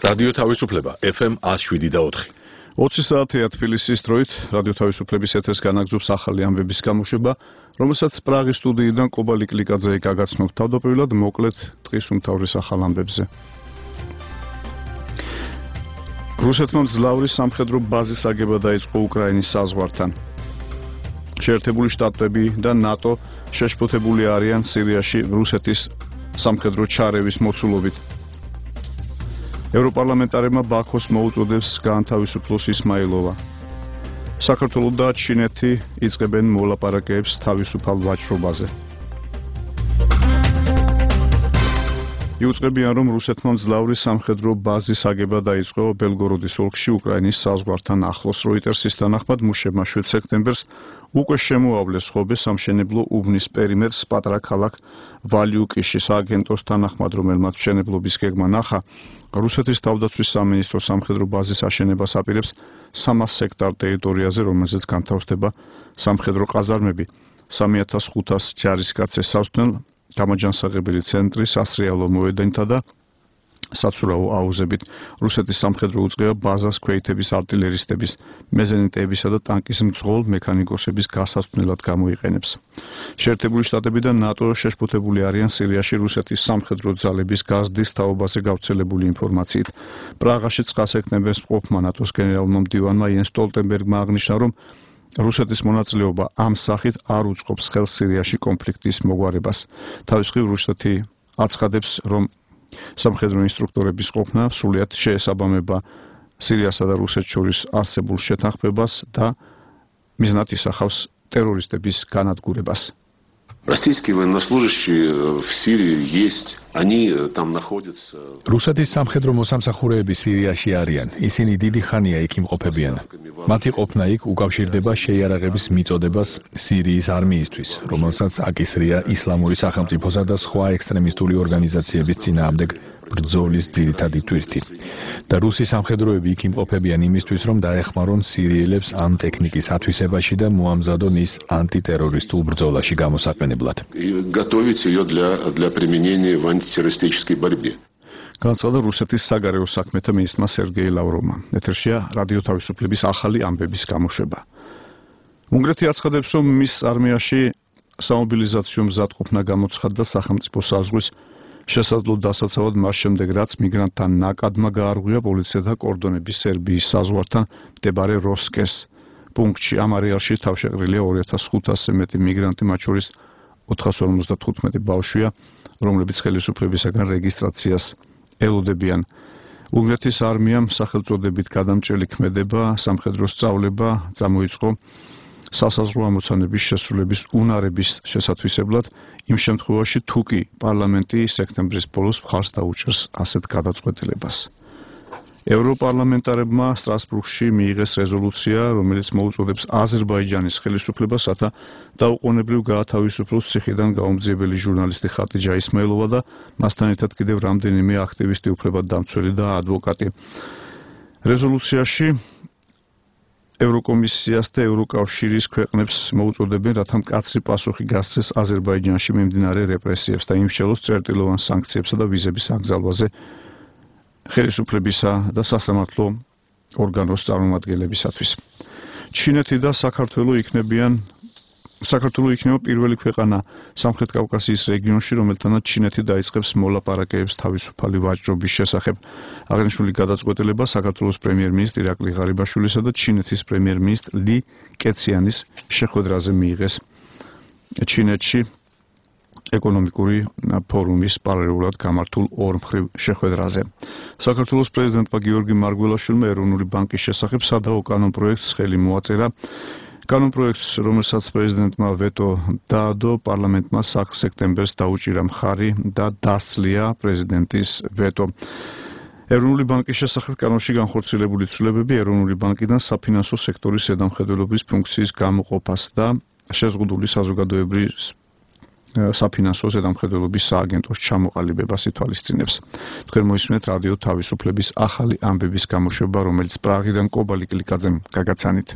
რადიო თავისუფლება FM 107.4. 20 საათია თბილისის დროით რადიო თავისუფლების ეთერს განაგზობს ახალი ამბების გამოშვება, რომელსაც პრაღის სტუდიიდან კობალი კლიკაძე გაგაცნობთ. თავდაპირველად მოკლედ დღის უმთავრეს ახალ ამბებზე. რუსეთმა მძლავრი სამხედრო ბაზის აგება დაიწყო უკრაინის საზღვართან. შეერთებული შტატები და ნატო შეშფოთებული არიან სირიაში რუსეთის სამხედრო ჩარევის მოცულობით. ევროპარლამენტარებმა ბაქოს მოუწოდებს გაანთავისუფლოს ისმაილოვა. საქართველო და ჩინეთი იწყებენ მოლაპარაკებებს თავისუფალ ვაჭრობაზე. იუწყებიან, რომ რუსეთმა მძლავრი სამხედრო ბაზის აგება დაიწყო ბელგოროდის ოლქში უკრაინის საზღვართან ახლოს. როიტერსის თანახმად მუშებმა 7 სექტემბერს უკვე შემოავლეს ხობე სამშენებლო უბნის პერიმეტრს პატარა ქალაქ ვალიუკიში. სააგენტოს თანახმად, რომელმაც მშენებლობის გეგმა ნახა, რუსეთის თავდაცვის სამინისტრო სამხედრო ბაზის აშენებას აპირებს 300 ჰექტარ ტერიტორიაზე, რომელზეც განთავსდება სამხედრო ყაზარმები. 3500 ჯარისკაცს ესაზღვრნენ გამაჯანსაღებელი ცენტრი სასრიალო მოედანთა და საცურაო აუზებით. რუსეთის სამხედრო უწყება ბაზას ქვეითების არტილერისტების, მეზენიტეებისა და ტანკის მძღოლ მექანიკოსების გასაცვლელად გამოიყენებს. შეერთებული შტატები და ნატო შეშფოთებული არიან სირიაში რუსეთის სამხედრო ძალების გაზრდის თაობაზე გავრცელებული ინფორმაციით. პრაღაში 9 სექტემბერს მყოფმა ნატოს გენერალურმა მდივანმა იენს სტოლტენბერგმა აღნიშნა, რომ რუსეთის მონაწილეობა ამ სახით არ უწყობს ხელს სირიაში კონფლიქტის მოგვარებას. თავის მხრივ რუსეთი აცხადებს, რომ სამხედრო ინსტრუქტორების ყოფნა სრულიად შეესაბამება სირიასა და რუსეთს შორის არსებულ შეთანხმებას და მიზნად ისახავს ტერორისტების განადგურებას. Российские военнослужащие в Сирии есть, они там находятся. რუსეთის სამხედრო მოსამსახურეები სირიაში არიან. ისინი დიდი ხანია იქ იმყოფებიან. მათი ყოფნა იქ უკავშირდება შეიარაღების მიწოდებას სირიის არმიისთვის, რომელსაც აკისრია ისლამური სახელმწიფოსა და სხვა ექსტრემისტული ორგანიზაციების წინააღმდეგ ბრძოლის ძირითადი თვირთი. და რუსი სამხედროები იქ იმყოფებიან იმისთვის, რომ დაეხმარონ სირიელებს ამ ტექნიკის ათვისებაში და მოამზადონ ის ანტიტერორისტულ ბრძოლაში გამოსაყენებლად. Готовить ее для применения в антитеррористической борьбе. განაცხადა რუსეთის საგარეო საქმეთა მინისტრმა სერგეი ლავროვმა. ეთერშია რადიო თავისუფლების ახალი ამბების გამოშვება. უნგრეთი აცხადებს, რომ მის არმიაში სამობილიზაციო მზადყოფნა გამოცხადდა სახელმწიფო საზღვრის შესაძლო დასაცავად მას შემდეგ, რაც მიგრანტთა ნაკადმა გაარღვია პოლიციათა კორდონები სერბიის საზღვართან მდებარე როსკეს პუნქტში. ამ არეალში თავშეყრილია 2500-ზე მეტი მიგრანტი, მათ შორის 455 ბავშვია, რომლებიც ხელისუფლებისაგან რეგისტრაციას ელოდებიან. უნგრეთის არმიამ სახელწოდებით გადამჭრელი ქმედება, სამხედრო სწავლება წამოიწყო სასაზღვრო ამოცანების შესრულების უნარების შესათვისებლად, იმ შემთხვევაში თუ კი პარლამენტი სექტემბრის ბოლოს მხარს დაუჭერს ასეთ გადაწყვეტილებას. ევროპარლამენტარებმა სტრასბურგში მიიღეს რეზოლუცია, რომელიც მოუწოდებს აზერბაიჯანის ხელისუფლებას, რათა დაუყოვნებლივ გაათავისუფლოს ციხიდან გაუმძიებელი ჟურნალისტი ხატიჯა ისმაილოვა და მასთან ერთად კიდევ რამდენიმე აქტივისტი, უფლებადდამცველი და ადვოკატი. რეზოლუციაში ევროკომისიას და ევროკავშირის ქვეყნებს მოუწოდებენ, რათა მკაცრი პასუხი გასცეს აზერბაიჯანში მიმდინარე რეპრესიებს და იმსჯელოს წერტილოვან სანქციებსა და ვიზების აკრძალვაზე ხელისუფლებისა და სასამართლო ორგანოს წარმომადგენლებისათვის. ჩინეთი და საქართველო იქნება პირველი ქვეყანა სამხრეთ კავკასიის რეგიონში, რომელთანაც ჩინეთი დაიწყებს მოლაპარაკებებს თავისუფალი ვაჭრობის შესახებ. აღნიშნული გადაწყვეტილება საქართველოს პრემიერ-მინისტრ ირაკლი ღარიბაშვილისა და ჩინეთის პრემიერ-მინისტრ ლი კეციანის შეხვედრაზე მიიღეს ჩინეთში ეკონომიკური ფორუმის პარალელურად გამართულ ორმხრივ შეხვედრაზე. საქართველოს პრეზიდენტმა გიორგი მარგველაშვილმა ეროვნული ბანკის შესახებ სადაო კანონპროექტს ხელი მოაწერა. კანონპროექტს, რომელსაც პრეზიდენტმა ვეტო დაადო, პარლამენტმა 3 სექტემბერს დაუჭირა მხარი და დასძლია პრეზიდენტის ვეტო. ეროვნული ბანკის შესახებ კანონში განხორციელებული ცვლილებები ეროვნული ბანკიდან საფინანსო სექტორის ზედამხედველობის ფუნქციის გამოყოფას და შეზღუდული საზოგადოებრივი საფინანსო ზედამხედველობის სააგენტოს ჩამოყალიბებას ითვალისწინებს. თქვენ მოისმენთ რადიო თავისუფლების ახალი ამბების გამოშვება, რომელიც პრაღიდან კობალი კლიკაძემ გაგაცანით.